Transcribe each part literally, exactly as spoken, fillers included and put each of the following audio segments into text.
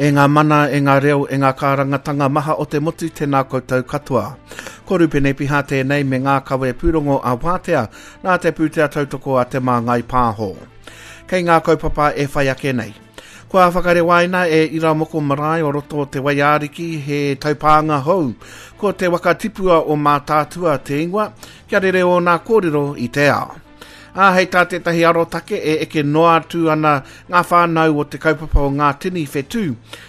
E ngā mana, e ngā reo, e ngā kārangatanga maha o te motu, tēnā koutou katoa. Ko Rupene Piha tēnei me ngā kawe pūrongo a Wātea, nā te pūtea tautoko a Te Māngai Pāho. Kei ngā kaupapa e whai ake nei. Kua whakarewaina e Iramoko Marae o roto o Te Waiariki he taupānga hou. Ko te waka tipua o Mātaatua te ingoa, kia rere ōna kōrero i te ao. Ā, hei tā tētahi arotake e eke noa atu ana ngā whānau o te kaupapa o Ngā Tini Whetū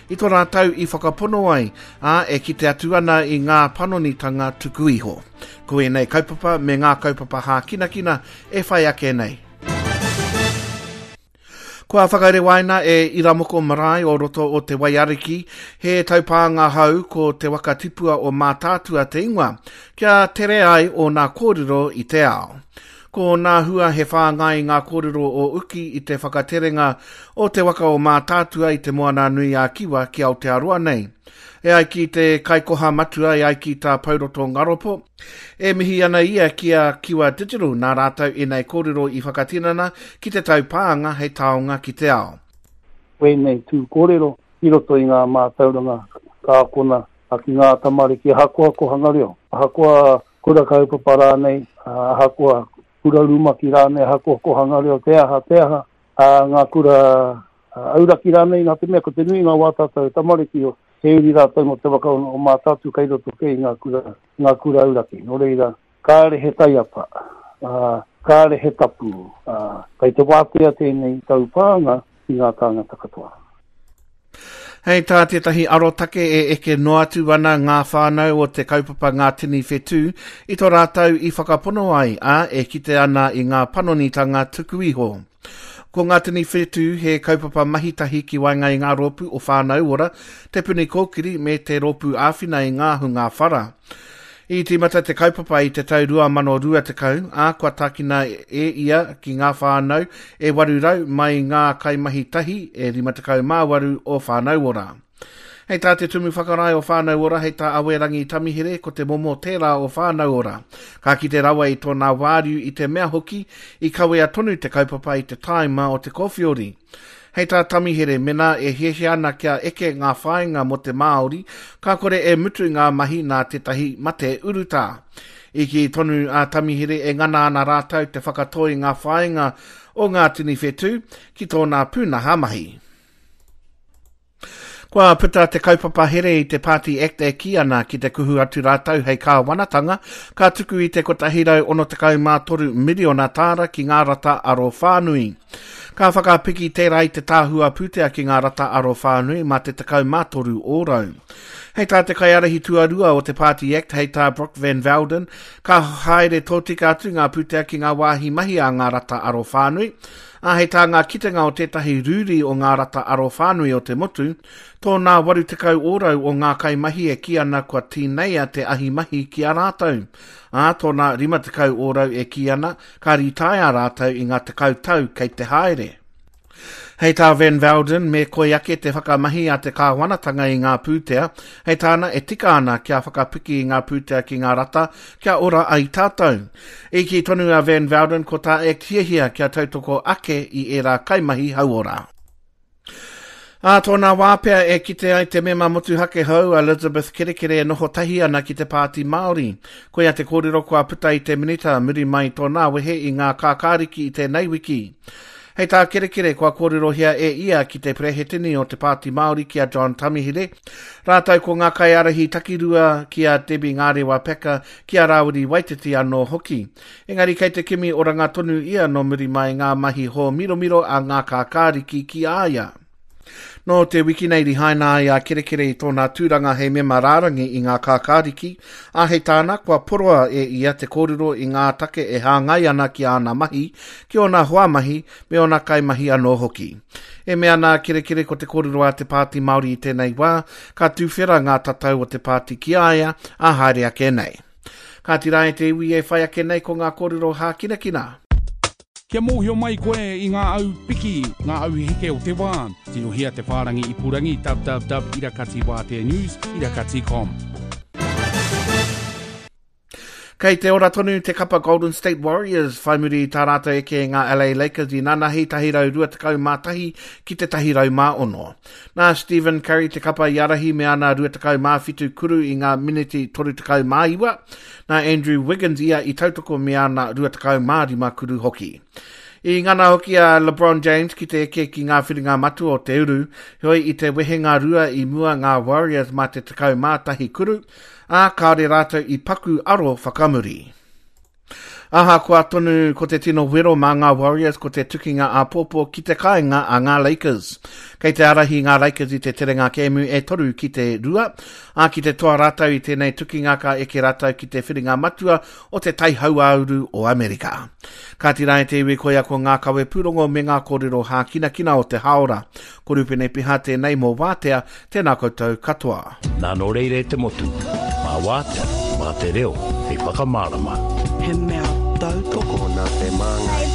i tō rātou i whakapono ai, ā, e kite atu ana i ngā panonitanga tuku iho. Ko ēnei kaupapa me ngā kaupapa hākinakina e whai ake nei. Kua whakarewaina e Iramoko Marae o roto o Te Waiariki he taupānga hou ko te waka tipua o Mātaatua te ingoa, kia tere ai ōna kōrero i te ao. Ko nā hua he whāngai ngā kōrero o uki i te whakaterenga o te waka o Mātaatua i te Moana Nui a Kiwa ki Aotearoa nei. E ai ki te kaikoha matua, e ai ki tā Pouroto Ngaropo, e mihi ana ia ki a Kiwa Digital nā rātou ēnei kōrero i whakatinana ki te taupānga hei taonga ki te ao. Wēnei tū kōrero i roto i ngā mātauranga ka akona ki ngā tamariki ahakoa kohanga reo, ahakoa kura kaupapa rānei, ahakoa kura rumaki rānei, ahakoa kohanga reo, te aha, te aha, a ngā kura auraki rānei, nā te mea ko te nui ngā wā tātou tamariki o he uri rātou mō te waka o Mātaatua kei roto kei ngā kura, ngā kura auraki. Nō reira, kāre he taiapa, uh, kāre he tapu, uh, kei te wātea tēnei taupānga ki ngā tāngata katoa. Hei tā tētahi arotake e eke noa atu ana ngā whānau o te kaupapa Ngā Tini Whetū i tō rātou i whakapono ai, ā, e kite ana i ngā panonitanga tuku iho. Ko Ngā Tini Whetū he kaupapa mahitahi ki waenga i ngā rōpū o Whānau Ora, Te Puni Kōkiri me te rōpū āwhina i ngā hunga whara. I tīmata te kaupapa i te tau rua mano rua tekau, ā, kua tākina e ia ki ngā whānau e waru rau mai ngā kaimahi tahi e rima tekau mā waru o Whānau Ora. Hei tā te tumu whakarae o Whānau Ora, hei tā Awerangi Tamihere, ko te momo tērā o Whānau Ora. Ka kite rawa i tōna wāriu i te mea hoki, i kawea tonu te kaupapa i te tāima o te kōwhiori. Hei tā Tamihere, mena e hiahia ana kia eke ngā whāinga mō te Māori, ka kore e mutu ngā mahi nā tētahi mate urutā. I kī tonu a Tamihere e ngana ana rātou te whakatoi ngā whāinga o Ngā Tini Whetū ki tōna pūnaha mahi. Kua puta te kaupapa here i te Party Act e kī ana ki te kuhu atu rātou hei kāwanatanga, ka tuku i te kotahi rau ono tekau mā toru miriona tāra ki ngā rata aro whānui. Ka whakapiki tērā i te tāhua pūtea ki ngā rata aro whānui mā te tekau mā toru ōrau. Hei tā te kaiārahi tuarua o te Party Act, hei tā Brooke Van Velden, ka haere tōtika atu ngā pūtea ki ngā wāhi mahi a ngā rata aro whānui, ā, hei tā ngā kitenga o tētahi rūri o ngā rata aro whānui o te motu, tōna waru tekau ōrau o ngā kaimahi e kī ana kua tīneia te ahi mahi ki a rātou. Ā, tōna rima tekau ōrau e kī ana, ka ritaia rātou i ngā tekau tau kei te haere. Hei tā Van Velden, me koi ake te whakamahi a te kāwanatanga i ngā pūtea, hei tāna e tika ana kia whakapiki i ngā pūtea ki ngā rata, kia ora ai tātou. I kī tonu a Van Velden ko tā Act hiahia kia tautoko ake i ērā kaimahi hauora. Ā tōna wā pea e kite ai te mema motuhake hou Elizabeth Kerekere e noho tahi ana ki te Pāti Māori. Koia te kōrero kua puta i te minita muri mai tōna wehe i ngā kākāriki i tēnei wiki. Hei tā Kerekere kua kōrerohia e ia ki te prehetini o te Pāti Māori ki a John Tamihere, rātou ko ngā kaiārahi takirua ki a Debbie Ngārewa Packer ki a Rāwiri Waititi anō hoki. Engari kei te kimi oranga tonu ia nō muri mai ngā mahi hōmiromiro a ngā kākāriki ki a ia. Nō te wiki nei rihaina ai a Kerekere i tōna tūranga hei mema rārangi i ngā kākāriki, ā hei tāna kua poroa e ia te kōrero i ngā take e hāngai ana ki āna mahi, ki ōna hoa mahi, me ōna kaimahi anō hoki. E mea ana a Kerekere ko te kōrero a te Pāti Māori i tēnei wā, ka tūwhera ngā tatau o te pāti ki a ia, ā haere ake nei. Ka tira e te iwi e whai ake nei ko ngā kōrero hākinakina. Kia mōhio mai koe i ngā au piki, ngā au heke o te wā. Tirohia te whārangi ipurangi www irakati wātea news irakati com. Kei te ora tonu te kapa Golden State Warriors whai muri i tā rātou eke i ngā L A Lakers i nanahi tahi rau rua tekau mā tahi ki te tahi rau mā ono. Nā Stephen Curry te kapa i ārahi me ana rua tekau mā whitu kuru i ngā miniti toru tekau mā iwa. Nā Andrew Wiggins ia i tautoko me ana rua tekau mā rima kuru hoki. I ngana hoki a LeBron James ki te eke ki ngā whiringa matua o te uru, heoi i te wehenga rua i mua ngā Warriors mā te tekau mā tahi kuru, ā kāore rātou i paku aro whakamuri. Ahakoa tonu ko te tino wero mā ngā Warriors ko te tukinga āpōpō ki te kāinga a ngā Lakers. Kei te ārahi ngā Lakers i te terenga kēmu e toru ki te rua, ā ki te toa rātou i tēnei tukinga ka eke rātou ki te whiringa matua o te tai hauāuru o Amerika. Ka tira e te iwi koia ko ngā kawe pūrongo me ngā kōrero hākinakina o te haora. Ko Rupene Piha tēnei mō Wātea, tēnā koutou katoa. Nā nō reire te motu, mā Wātea, mā te reo, hei whakamārama. He mea tautoko nā te māngai.